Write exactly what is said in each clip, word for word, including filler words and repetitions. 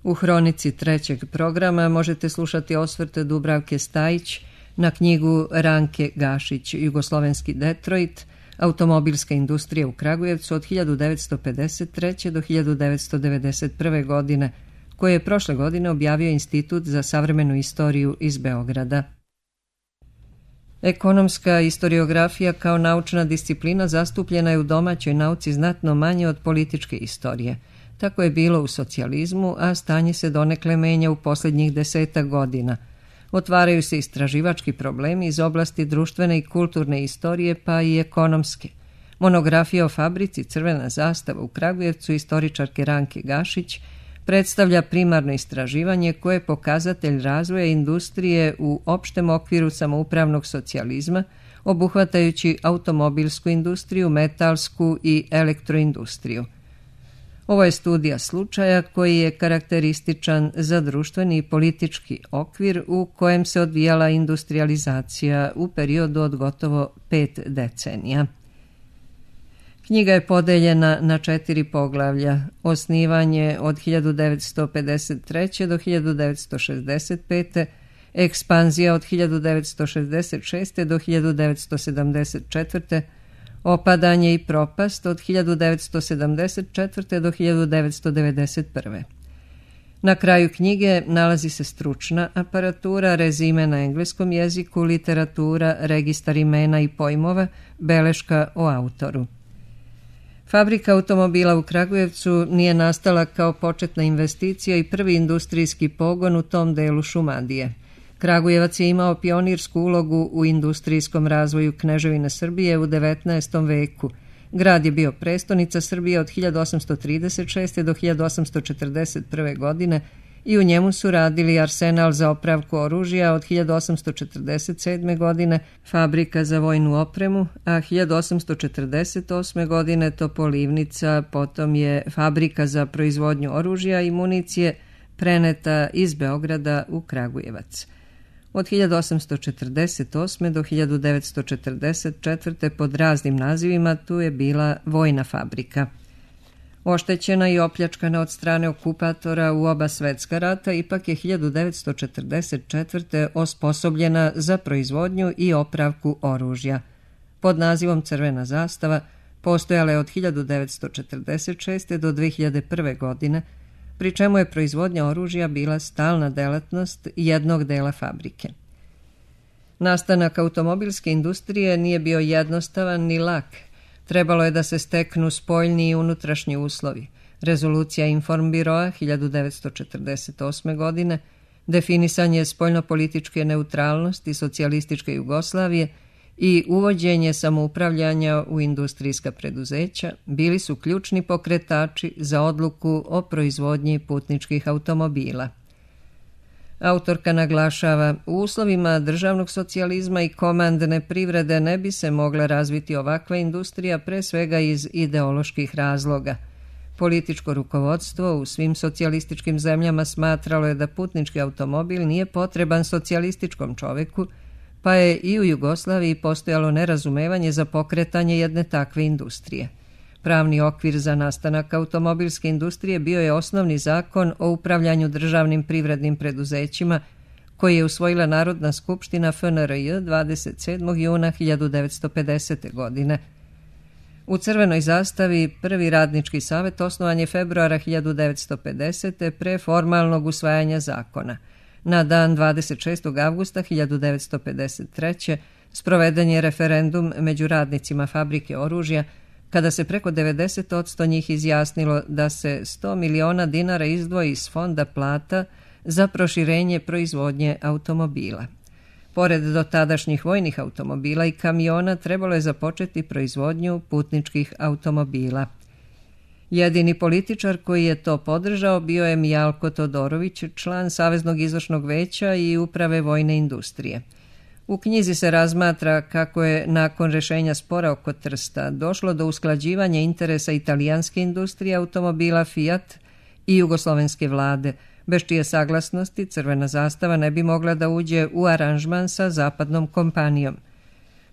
U hronici trećeg programa možete slušati osvrte Dubravke Stajić na knjigu Ranke Gašić, Jugoslovenski Detroit, automobilska industrija u Kragujevcu od hiljadu devetsto pedeset treće. do hiljadu devetsto devedeset prve. godine, koje je prošle godine objavio Institut za savremenu istoriju iz Beograda. Ekonomska istoriografija kao naučna disciplina zastupljena je u domaćoj nauci znatno manje od političke istorije. Tako je bilo u socijalizmu, a stanje se donekle menja u posljednjih desetak godina. Otvaraju se istraživački problemi iz oblasti društvene i kulturne istorije, pa i ekonomske. Monografija o fabrici Crvena zastava u Kragujevcu istoričarke Ranke Gašić predstavlja primarno istraživanje koje je pokazatelj razvoja industrije u opštem okviru samoupravnog socijalizma, obuhvatajući automobilsku industriju, metalsku i elektroindustriju. Ovo je studija slučaja koji je karakterističan za društveni i politički okvir u kojem se odvijala industrializacija u periodu od gotovo pet decenija. Knjiga je podeljena na četiri poglavlja: osnivanje od hiljadu devetsto pedeset treće. do hiljadu devetsto šezdeset pete., ekspanzija od hiljadu devetsto šezdeset šeste. do hiljadu devetsto sedamdeset četvrte., opadanje i propast od hiljadu devetsto sedamdeset četvrte. do hiljadu devetsto devedeset prve. Na kraju knjige nalazi se stručna aparatura, rezime na engleskom jeziku, literatura, registar imena i pojmova, beleška o autoru. Fabrika automobila u Kragujevcu nije nastala kao početna investicija i prvi industrijski pogon u tom delu Šumadije. Kragujevac je imao pionirsku ulogu u industrijskom razvoju Kneževine Srbije u devetnaestom veku. Grad je bio prestonica Srbije od hiljadu osamsto trideset šeste. do hiljadu osamsto četrdeset prve. godine i u njemu su radili arsenal za opravku oružja od hiljadu osamsto četrdeset sedme. godine, fabrika za vojnu opremu, a hiljadu osamsto četrdeset osme. godine Topolivnica, potom je fabrika za proizvodnju oružja i municije preneta iz Beograda u Kragujevac. Od hiljadu osamsto četrdeset osme. do hiljadu devetsto četrdeset četvrte. pod raznim nazivima tu je bila vojna fabrika. Oštećena i opljačkana od strane okupatora u oba svetska rata, ipak je hiljadu devetsto četrdeset četvrte. osposobljena za proizvodnju i opravku oružja. Pod nazivom Crvena zastava postojala je od hiljadu devetsto četrdeset šeste. do dve hiljade prve. godine, pri čemu je proizvodnja oružja bila stalna delatnost jednog dela fabrike. Nastanak automobilske industrije nije bio jednostavan ni lak. Trebalo je da se steknu spoljni i unutrašnji uslovi. Rezolucija Informbiroa hiljadu devetsto četrdeset osme. godine, definisanje spoljnopolitičke neutralnosti socijalističke Jugoslavije i uvođenje samoupravljanja u industrijska preduzeća bili su ključni pokretači za odluku o proizvodnji putničkih automobila. Autorka naglašava, u uslovima državnog socijalizma i komandne privrede ne bi se mogla razviti ovakva industrija, pre svega iz ideoloških razloga. Političko rukovodstvo u svim socijalističkim zemljama smatralo je da putnički automobil nije potreban socijalističkom čoveku, pa je i u Jugoslaviji postojalo nerazumevanje za pokretanje jedne takve industrije. Pravni okvir za nastanak automobilske industrije bio je osnovni zakon o upravljanju državnim privrednim preduzećima, koji je usvojila Narodna skupština F N R J dvadeset sedmog juna hiljadu devetsto pedesete. godine. U Crvenoj zastavi prvi radnički savet osnovan je februara hiljadu devetsto pedesete. pre formalnog usvajanja zakona. Na dan dvadeset šestog avgusta hiljadu devetsto pedeset treće. sproveden je referendum među radnicima fabrike oružja, kada se preko devedeset posto njih izjasnilo da se sto miliona dinara izdvoji iz fonda plata za proširenje proizvodnje automobila. Pored dotadašnjih vojnih automobila i kamiona, trebalo je započeti proizvodnju putničkih automobila. Jedini političar koji je to podržao bio je Mijalko Todorović, član Saveznog izvršnog veća i uprave vojne industrije. U knjizi se razmatra kako je nakon rešenja spora oko Trsta došlo do usklađivanja interesa italijanske industrije automobila Fiat i jugoslovenske vlade, bez čije saglasnosti Crvena zastava ne bi mogla da uđe u aranžman sa zapadnom kompanijom.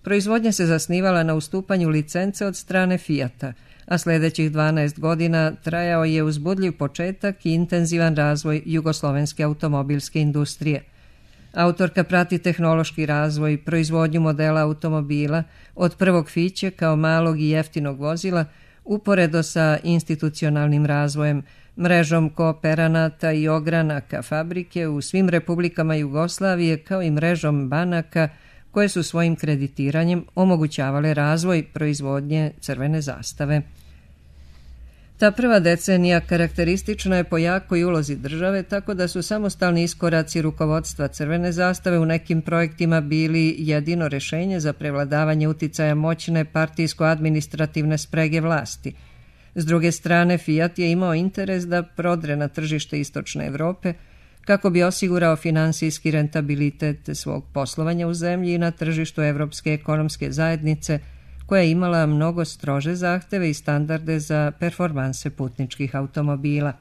Proizvodnja se zasnivala na ustupanju licence od strane Fiata, a sljedećih dvanaest godina trajao je uzbudljiv početak i intenzivan razvoj jugoslovenske automobilske industrije. Autorka prati tehnološki razvoj, proizvodnju modela automobila, od prvog fiće kao malog i jeftinog vozila, uporedo sa institucionalnim razvojem, mrežom kooperanata i ogranaka fabrike u svim republikama Jugoslavije, kao i mrežom banaka koje su svojim kreditiranjem omogućavale razvoj proizvodnje crvene zastave. Ta prva decenija karakteristična je po jakoj ulozi države, tako da su samostalni iskoraci rukovodstva crvene zastave u nekim projektima bili jedino rješenje za prevladavanje uticaja moćne partijsko-administrativne sprege vlasti. S druge strane, Fiat je imao interes da prodre na tržište Istočne Evrope kako bi osigurao finansijski rentabilitet svog poslovanja u zemlji i na tržištu Evropske ekonomske zajednice, koja je imala mnogo strože zahteve i standarde za performanse putničkih automobila.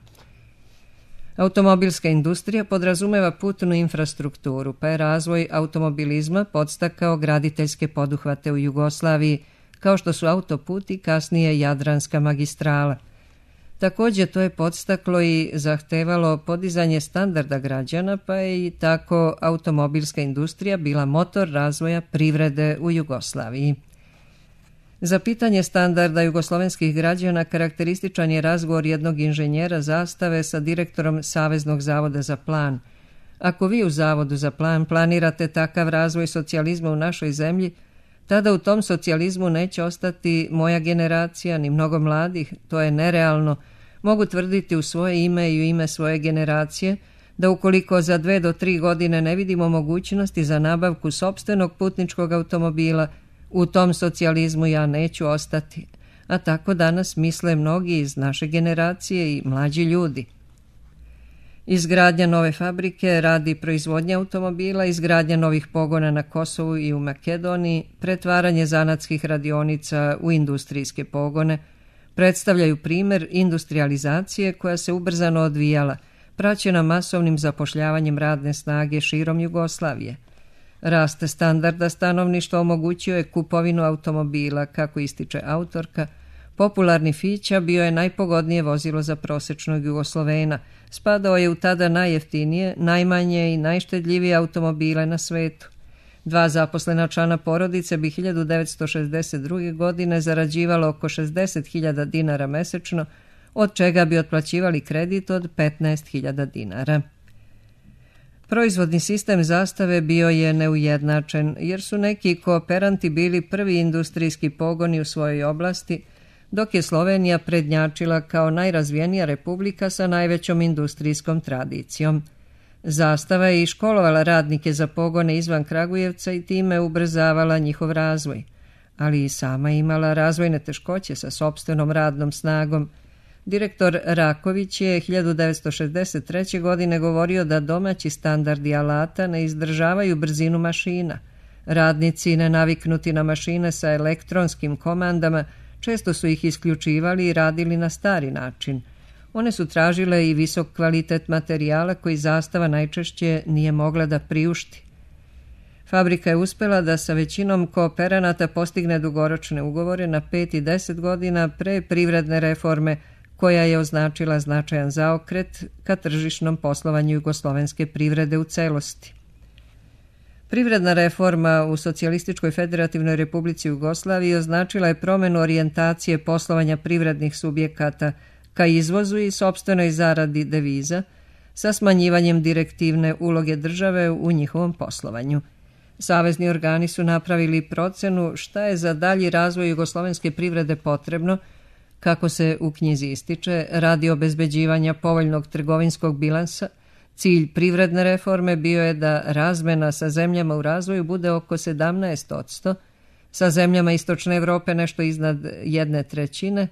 Automobilska industrija podrazumeva putnu infrastrukturu, pa je razvoj automobilizma podstakao graditeljske poduhvate u Jugoslaviji, kao što su autoput i kasnije Jadranska magistrala. Također to je podstaklo i zahtevalo podizanje standarda građana, pa je i tako automobilska industrija bila motor razvoja privrede u Jugoslaviji. Za pitanje standarda jugoslovenskih građana karakterističan je razgovor jednog inženjera zastave sa direktorom Saveznog zavoda za plan. Ako vi u Zavodu za plan planirate takav razvoj socijalizma u našoj zemlji, tada u tom socijalizmu neće ostati moja generacija ni mnogo mladih, to je nerealno. Mogu tvrditi u svoje ime i u ime svoje generacije da ukoliko za dve do tri godine ne vidimo mogućnosti za nabavku sopstvenog putničkog automobila, u tom socijalizmu ja neću ostati. A tako danas misle mnogi iz naše generacije i mlađi ljudi. Izgradnja nove fabrike radi proizvodnje automobila, izgradnja novih pogona na Kosovu i u Makedoniji, pretvaranje zanatskih radionica u industrijske pogone, predstavljaju primjer industrializacije koja se ubrzano odvijala, praćena masovnim zapošljavanjem radne snage širom Jugoslavije. Rast standarda stanovništva omogućio je kupovinu automobila, kako ističe autorka. Popularni Fića bio je najpogodnije vozilo za prosječnog Jugoslovena, spadao je u tada najjeftinije, najmanje i najštedljivije automobile na svetu. Dva zaposlena člana porodice bi hiljadu devetsto šezdeset druge. godine zarađivalo oko šezdeset hiljada dinara mesečno, od čega bi otplaćivali kredit od petnaest hiljada dinara. Proizvodni sistem zastave bio je neujednačen, jer su neki kooperanti bili prvi industrijski pogoni u svojoj oblasti, dok je Slovenija prednjačila kao najrazvijenija republika sa najvećom industrijskom tradicijom. Zastava je i školovala radnike za pogone izvan Kragujevca i time ubrzavala njihov razvoj, ali i sama imala razvojne teškoće sa sopstvenom radnom snagom. Direktor Raković je hiljadu devetsto šezdeset treće. godine govorio da domaći standardi alata ne izdržavaju brzinu mašina. Radnici nenaviknuti na mašine sa elektronskim komandama često su ih isključivali i radili na stari način. One su tražile i visok kvalitet materijala koji zastava najčešće nije mogla da priušti. Fabrika je uspjela da sa većinom kooperanata postigne dugoročne ugovore na pet i deset godina pre privredne reforme, koja je označila značajan zaokret ka tržišnom poslovanju jugoslovenske privrede u celosti. Privredna reforma u Socijalističkoj federativnoj republici Jugoslaviji označila je promjenu orijentacije poslovanja privrednih subjekata ka izvozu i sopstvenoj zaradi deviza, sa smanjivanjem direktivne uloge države u njihovom poslovanju. Savezni organi su napravili procenu šta je za dalji razvoj jugoslovenske privrede potrebno, kako se u knjizi ističe, radi obezbeđivanja povoljnog trgovinskog bilansa. Cilj privredne reforme bio je da razmena sa zemljama u razvoju bude oko sedamnaest posto, sa zemljama Istočne Evrope nešto iznad jedne trećine,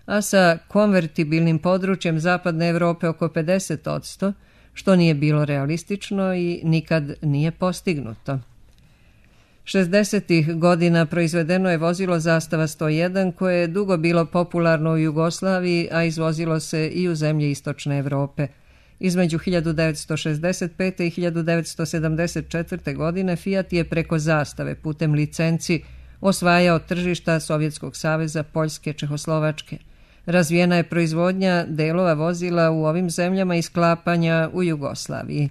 a sa konvertibilnim područjem Zapadne Evrope oko pedeset posto, što nije bilo realistično i nikad nije postignuto. šezdesetih godina proizvedeno je vozilo Zastava sto jedan koje je dugo bilo popularno u Jugoslaviji, a izvozilo se i u zemlje Istočne Evrope. Između hiljadu devetsto šezdeset pete. i hiljadu devetsto sedamdeset četvrte. godine Fiat je preko Zastave putem licenci osvajao tržišta Sovjetskog saveza, Poljske, Čehoslovačke. Razvijena je proizvodnja delova vozila u ovim zemljama i sklapanja u Jugoslaviji.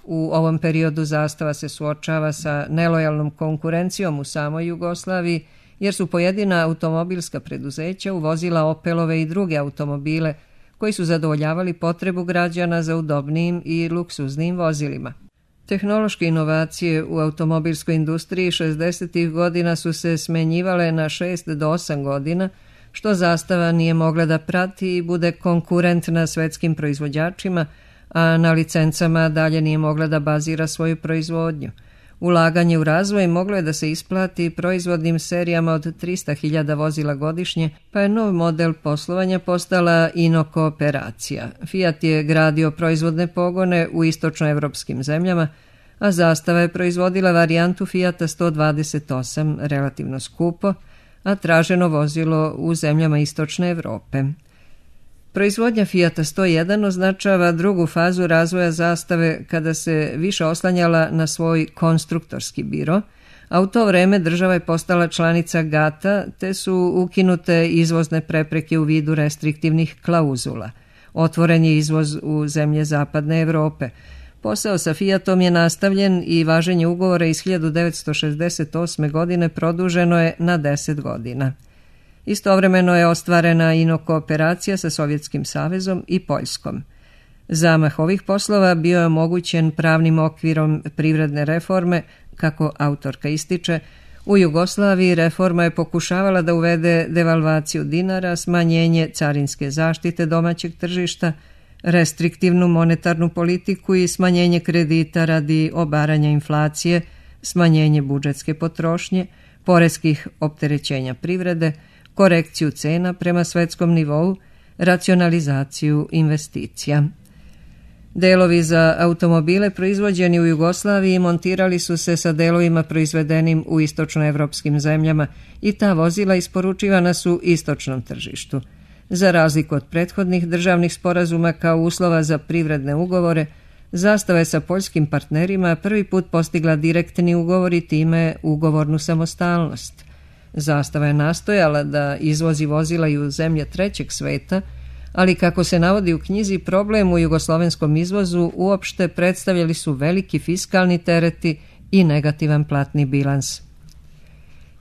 U ovom periodu Zastava se suočava sa nelojalnom konkurencijom u samoj Jugoslaviji, jer su pojedina automobilska preduzeća uvozila Opelove i druge automobile koji su zadovoljavali potrebu građana za udobnijim i luksuznim vozilima. Tehnološke inovacije u automobilskoj industriji šezdesetih godina su se smenjivale na šest do osam godina, što Zastava nije mogla da prati i bude konkurent na svetskim proizvođačima, a na licencama dalje nije mogla da bazira svoju proizvodnju. Ulaganje u razvoj moglo je da se isplati proizvodnim serijama od trista hiljada vozila godišnje, pa je nov model poslovanja postala inokooperacija. Fiat je gradio proizvodne pogone u istočnoevropskim zemljama, a Zastava je proizvodila varijantu Fiata sto dvadeset osam, relativno skupo, a traženo vozilo u zemljama istočne Evrope. Proizvodnja Fiata sto jedan označava drugu fazu razvoja Zastave kada se više oslanjala na svoj konstruktorski biro, a u to vreme država je postala članica gata, te su ukinute izvozne prepreke u vidu restriktivnih klauzula. Otvoren je izvoz u zemlje zapadne Evrope. Posao sa Fiatom je nastavljen i važenje ugovora iz hiljadu devetsto šezdeset osme. godine produženo je na deset godina. Istovremeno je ostvarena inokooperacija sa Sovjetskim savezom i Poljskom. Zamah ovih poslova bio je omogućen pravnim okvirom privredne reforme, kako autorka ističe. U Jugoslaviji reforma je pokušavala da uvede devalvaciju dinara, smanjenje carinske zaštite domaćeg tržišta, restriktivnu monetarnu politiku i smanjenje kredita radi obaranja inflacije, smanjenje budžetske potrošnje, poreskih opterećenja privrede, korekciju cena prema svetskom nivou, racionalizaciju investicija. Delovi za automobile proizvođeni u Jugoslaviji montirali su se sa delovima proizvedenim u istočnoevropskim zemljama i ta vozila isporučivana su istočnom tržištu. Za razliku od prethodnih državnih sporazuma kao uslova za privredne ugovore, Zastava je sa poljskim partnerima prvi put postigla direktni ugovor i time ugovornu samostalnost. Zastava je nastojala da izvozi vozila i u zemlje trećeg sveta, ali kako se navodi u knjizi, problem u jugoslovenskom izvozu uopšte predstavljali su veliki fiskalni tereti i negativan platni bilans.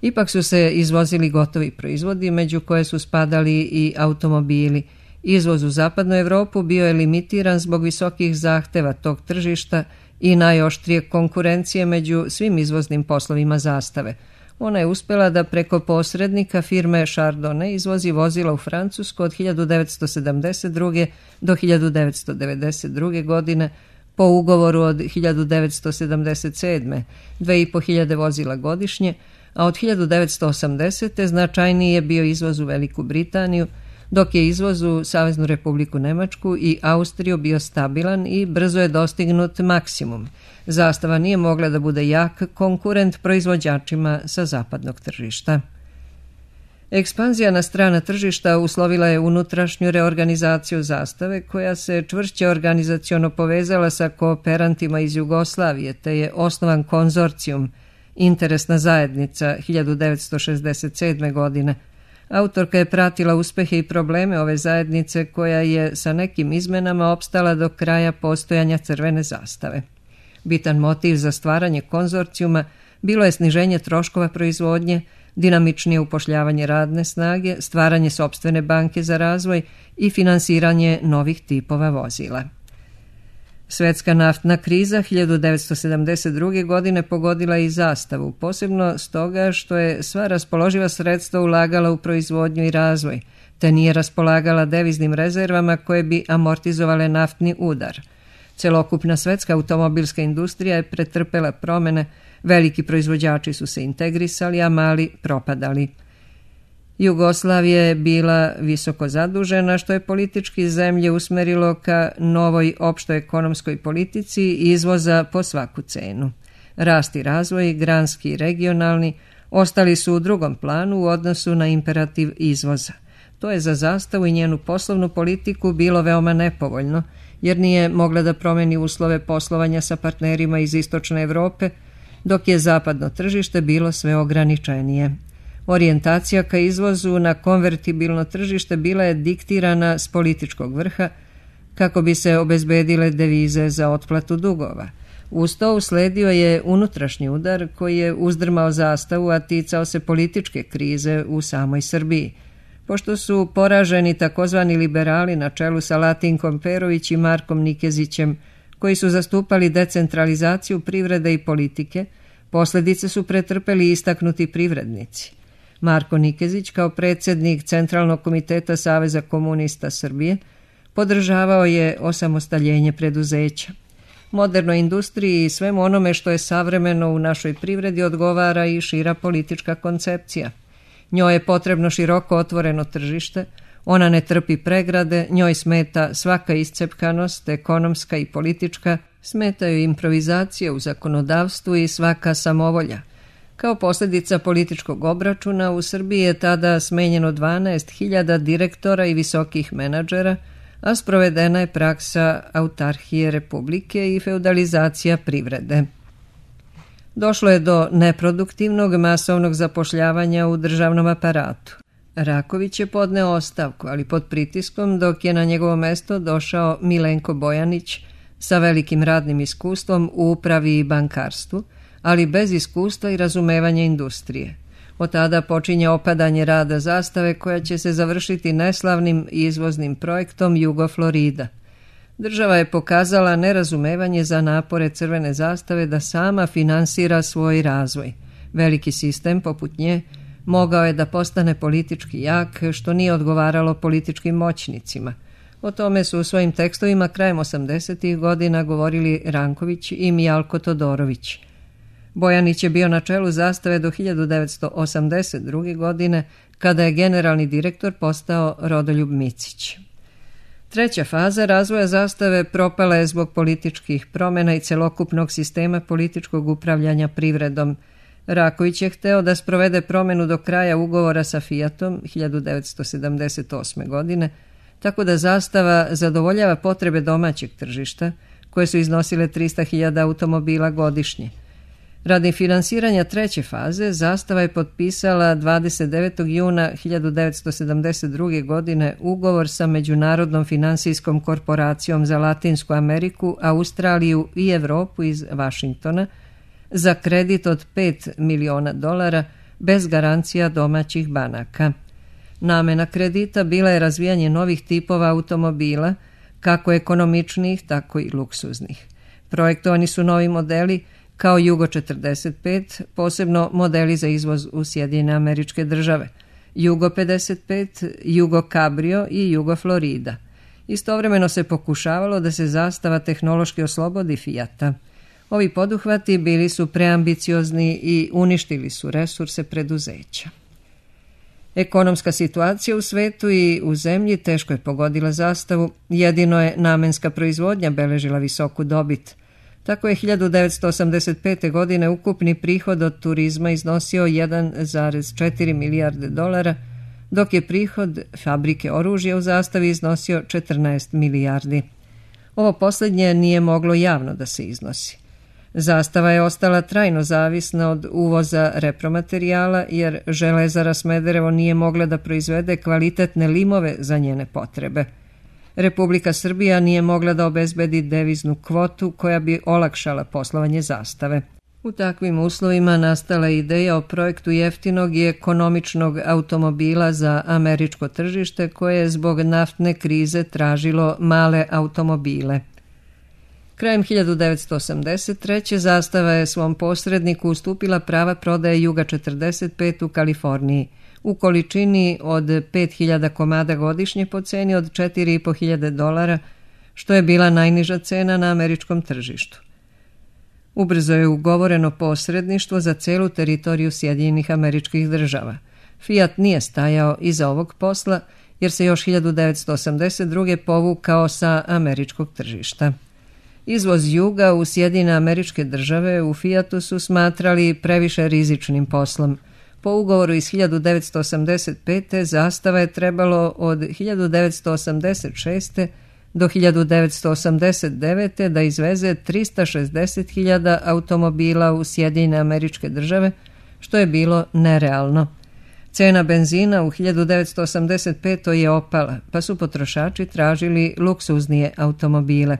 Ipak su se izvozili gotovi proizvodi, među koje su spadali i automobili. Izvoz u zapadnu Evropu bio je limitiran zbog visokih zahteva tog tržišta i najoštrije konkurencije među svim izvoznim poslovima Zastave. Ona je uspjela da preko posrednika firme Chardonnay izvozi vozila u Francusku od hiljadu devetsto sedamdeset druge. do hiljadu devetsto devedeset druge. godine po ugovoru od hiljadu devetsto sedamdeset sedme. dve i po hiljade vozila godišnje, a od hiljadu devetsto osamdesete. značajniji je bio izvoz u Veliku Britaniju, dok je izvoz u Saveznu Republiku Nemačku i Austriju bio stabilan i brzo je dostignut maksimum. Zastava nije mogla da bude jak konkurent proizvođačima sa zapadnog tržišta. Ekspanzija na strana tržišta uslovila je unutrašnju reorganizaciju Zastave, koja se čvršće organizaciono povezala sa kooperantima iz Jugoslavije, te je osnovan konzorcijum, interesna zajednica hiljadu devetsto šezdeset sedme. godine. Autorka je pratila uspehe i probleme ove zajednice, koja je sa nekim izmenama opstala do kraja postojanja Crvene zastave. Bitan motiv za stvaranje konzorcijuma bilo je sniženje troškova proizvodnje, dinamičnije upošljavanje radne snage, stvaranje sopstvene banke za razvoj i finansiranje novih tipova vozila. Svetska naftna kriza hiljadu devetsto sedamdeset druge. godine pogodila i Zastavu, posebno stoga što je sva raspoloživa sredstva ulagala u proizvodnju i razvoj, te nije raspolagala deviznim rezervama koje bi amortizovale naftni udar. Celokupna svetska automobilska industrija je pretrpela promene, veliki proizvođači su se integrisali, a mali propadali. Jugoslavija je bila visoko zadužena, što je politički zemlje usmerilo ka novoj opštoj ekonomskoj politici izvoza po svaku cenu. Rast i razvoj, granski i regionalni, ostali su u drugom planu u odnosu na imperativ izvoza. To je za Zastavu i njenu poslovnu politiku bilo veoma nepovoljno, jer nije mogla da promeni uslove poslovanja sa partnerima iz istočne Evrope, dok je zapadno tržište bilo sve ograničenije. Orijentacija ka izvozu na konvertibilno tržište bila je diktirana s političkog vrha kako bi se obezbedile devize za otplatu dugova. Uz to usledio je unutrašnji udar koji je uzdrmao zastavu, a ticao se političke krize u samoj Srbiji. Pošto su poraženi takozvani liberali na čelu sa Latinkom Perović i Markom Nikezićem, koji su zastupali decentralizaciju privrede i politike, posljedice su pretrpeli istaknuti privrednici. Marko Nikezić, kao predsjednik Centralnog komiteta Saveza komunista Srbije, podržavao je osamostaljenje preduzeća. Modernoj industriji i svemu onome što je savremeno u našoj privredi odgovara i šira politička koncepcija. Njoj je potrebno široko otvoreno tržište, ona ne trpi pregrade, njoj smeta svaka iscepkanost, ekonomska i politička, smetaju improvizacije u zakonodavstvu i svaka samovolja. Kao posljedica političkog obračuna u Srbiji je tada smenjeno dvanaest hiljada direktora i visokih menadžera, a sprovedena je praksa autarhije republike i feudalizacija privrede. Došlo je do neproduktivnog masovnog zapošljavanja u državnom aparatu. Raković je podneo ostavku, ali pod pritiskom, dok je na njegovo mesto došao Milenko Bojanić sa velikim radnim iskustvom u upravi i bankarstvu, ali bez iskustva i razumevanja industrije. Od tada počinje opadanje rada zastave koja će se završiti neslavnim izvoznim projektom Jugo-Florida. Država je pokazala nerazumevanje za napore Crvene zastave da sama finansira svoj razvoj. Veliki sistem, poput nje, mogao je da postane politički jak, što nije odgovaralo političkim moćnicima. O tome su u svojim tekstovima krajem osamdesetih godina govorili Ranković i Mijalko Todorović. Bojanić je bio na čelu zastave do hiljadu devetsto osamdeset druge. godine, kada je generalni direktor postao Rodoljub Micić. Treća faza razvoja zastave propala je zbog političkih promjena i celokupnog sistema političkog upravljanja privredom. Raković je hteo da sprovede promjenu do kraja ugovora sa Fiatom hiljadu devetsto sedamdeset osme. godine, tako da zastava zadovoljava potrebe domaćeg tržišta, koje su iznosile trista hiljada automobila godišnje. Radi finansiranja treće faze, zastava je potpisala dvadeset devetog juna hiljadu devetsto sedamdeset druge. godine ugovor sa Međunarodnom finansijskom korporacijom za Latinsku Ameriku, Australiju i Evropu iz Vašingtona za kredit od pet miliona dolara bez garancija domaćih banaka. Namena kredita bila je razvijanje novih tipova automobila, kako ekonomičnih, tako i luksuznih. Projektovani su novi modeli kao Jugo četrdeset pet, posebno modeli za izvoz u Sjedinjene Američke Države, Jugo pedeset pet, Jugo Cabrio i Jugo Florida. Istovremeno se pokušavalo da se zastava tehnološki oslobodi Fiata. Ovi poduhvati bili su preambiciozni i uništili su resurse preduzeća. Ekonomska situacija u svetu i u zemlji teško je pogodila zastavu, jedino je namenska proizvodnja beležila visoku dobit. Tako je hiljadu devetsto osamdeset pete. godine ukupni prihod od turizma iznosio jedan zarez četiri milijarde dolara, dok je prihod fabrike oružja u zastavi iznosio četrnaest milijardi. Ovo posljednje nije moglo javno da se iznosi. Zastava je ostala trajno zavisna od uvoza repromaterijala, jer Železara Smederevo nije mogla da proizvede kvalitetne limove za njene potrebe. Republika Srbija nije mogla da obezbedi deviznu kvotu koja bi olakšala poslovanje zastave. U takvim uslovima nastala je ideja o projektu jeftinog i ekonomičnog automobila za američko tržište koje je zbog naftne krize tražilo male automobile. Krajem hiljadu devetsto osamdeset treće. zastava je svom posredniku ustupila prava prodaje Juga četrdeset pet u Kaliforniji u količini od pet hiljada komada godišnje po ceni od četiri i po hiljade dolara, što je bila najniža cena na američkom tržištu. Ubrzo je ugovoreno posredništvo za celu teritoriju Sjedinjenih Američkih Država. Fiat nije stajao iza ovog posla, jer se još hiljadu devetsto osamdeset druge. povukao sa američkog tržišta. Izvoz Juga u Sjedinjene Američke Države u Fiatu su smatrali previše rizičnim poslom. Po ugovoru iz hiljadu devetsto osamdeset pete. zastava je trebalo od hiljadu devetsto osamdeset šeste. do hiljadu devetsto osamdeset devete. da izveze trista šezdeset hiljada automobila u Sjedinjene Američke Države, što je bilo nerealno. Cena benzina u hiljadu devetsto osamdeset petoj je opala, pa su potrošači tražili luksuznije automobile.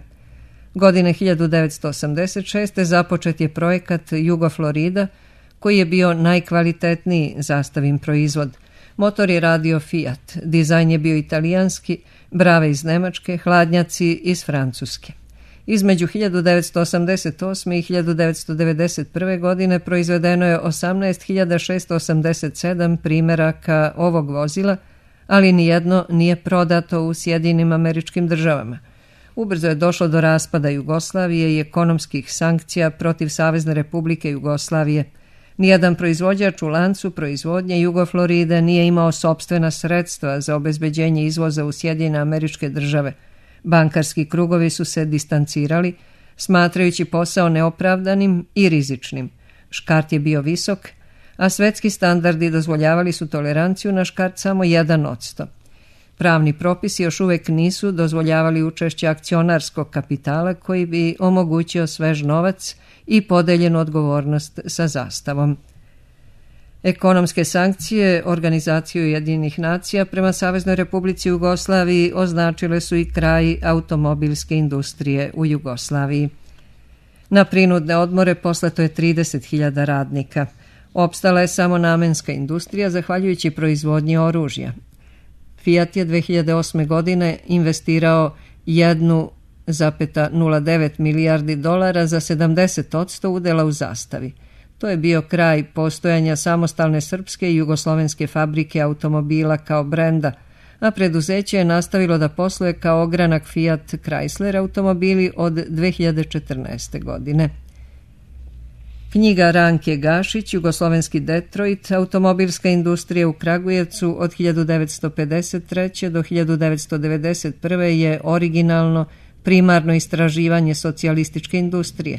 Godine hiljadu devetsto osamdeset šeste započet je projekat Jugo-Florida, koji je bio najkvalitetniji zastavin proizvod. Motor je radio Fiat, dizajn je bio italijanski, brave iz Nemačke, hladnjaci iz Francuske. Između hiljadu devetsto osamdeset osme i hiljadu devetsto devedeset prve godine proizvedeno je osamnaest hiljada šesto osamdeset sedam primjeraka ovog vozila, ali nijedno nije prodato u Sjedinjenim Američkim Državama. Ubrzo je došlo do raspada Jugoslavije i ekonomskih sankcija protiv Savezne Republike Jugoslavije. Nijedan proizvođač u lancu proizvodnje Jugo-Floride nije imao sopstvena sredstva za obezbeđenje izvoza u Sjedinjene Američke Države. Bankarski krugovi su se distancirali, smatrajući posao neopravdanim i rizičnim. Škart je bio visok, a svetski standardi dozvoljavali su toleranciju na škart samo jedan odsto. Pravni propisi još uvijek nisu dozvoljavali učešće akcionarskog kapitala koji bi omogućio svež novac i podeljenu odgovornost sa zastavom. Ekonomske sankcije Organizacije Ujedinjenih nacija prema Saveznoj Republici Jugoslaviji označile su i kraj automobilske industrije u Jugoslaviji. Na prinudne odmore poslato je trideset hiljada radnika. Opstala je samo namenska industrija zahvaljujući proizvodnji oružja. Fiat je dve hiljade osme. godine investirao jedan zarez nula devet milijardi dolara za sedamdeset odsto udela u zastavi. To je bio kraj postojanja samostalne srpske i jugoslovenske fabrike automobila kao brenda, a preduzeće je nastavilo da posluje kao ogranak Fiat Chrysler automobili od dve hiljade četrnaeste. godine. Knjiga Ranke Gašić, Jugoslovenski Detroit, automobilska industrija u Kragujevcu od hiljadu devetsto pedeset treće. do hiljadu devetsto devedeset prve. je originalno primarno istraživanje socijalističke industrije.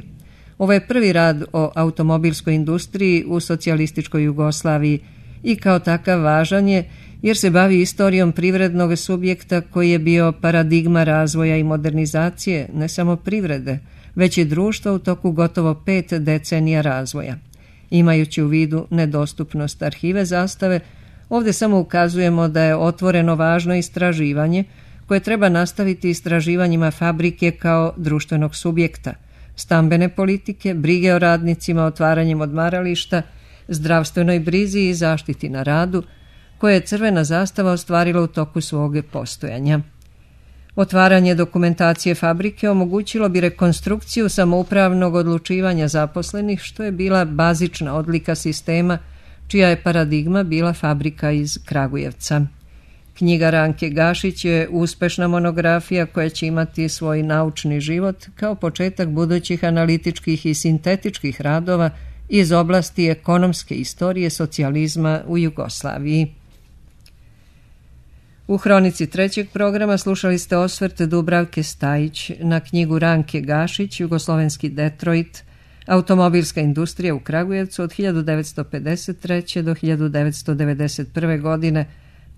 Ovo je prvi rad o automobilskoj industriji u socijalističkoj Jugoslaviji i kao takav važan je jer se bavi istorijom privrednog subjekta koji je bio paradigma razvoja i modernizacije ne samo privrede, već i društva u toku gotovo pet decenija razvoja. Imajući u vidu nedostupnost arhive zastave, ovdje samo ukazujemo da je otvoreno važno istraživanje koje treba nastaviti istraživanjima fabrike kao društvenog subjekta, stambene politike, brige o radnicima, otvaranjem odmarališta, zdravstvenoj brizi i zaštiti na radu, koje je crvena zastava ostvarila u toku svog postojanja. Otvaranje dokumentacije fabrike omogućilo bi rekonstrukciju samoupravnog odlučivanja zaposlenih, što je bila bazična odlika sistema, čija je paradigma bila fabrika iz Kragujevca. Knjiga Ranke Gašić je uspešna monografija koja će imati svoj naučni život kao početak budućih analitičkih i sintetičkih radova iz oblasti ekonomske istorije socijalizma u Jugoslaviji. U hronici trećeg programa slušali ste osvrt Dubravke Stajić na knjigu Ranke Gašić, Jugoslovenski Detroit, automobilska industrija u Kragujevcu od hiljadu devetsto pedeset treće. do hiljadu devetsto devedeset prve. godine,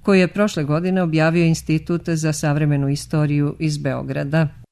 koju je prošle godine objavio Institut za savremenu istoriju iz Beograda.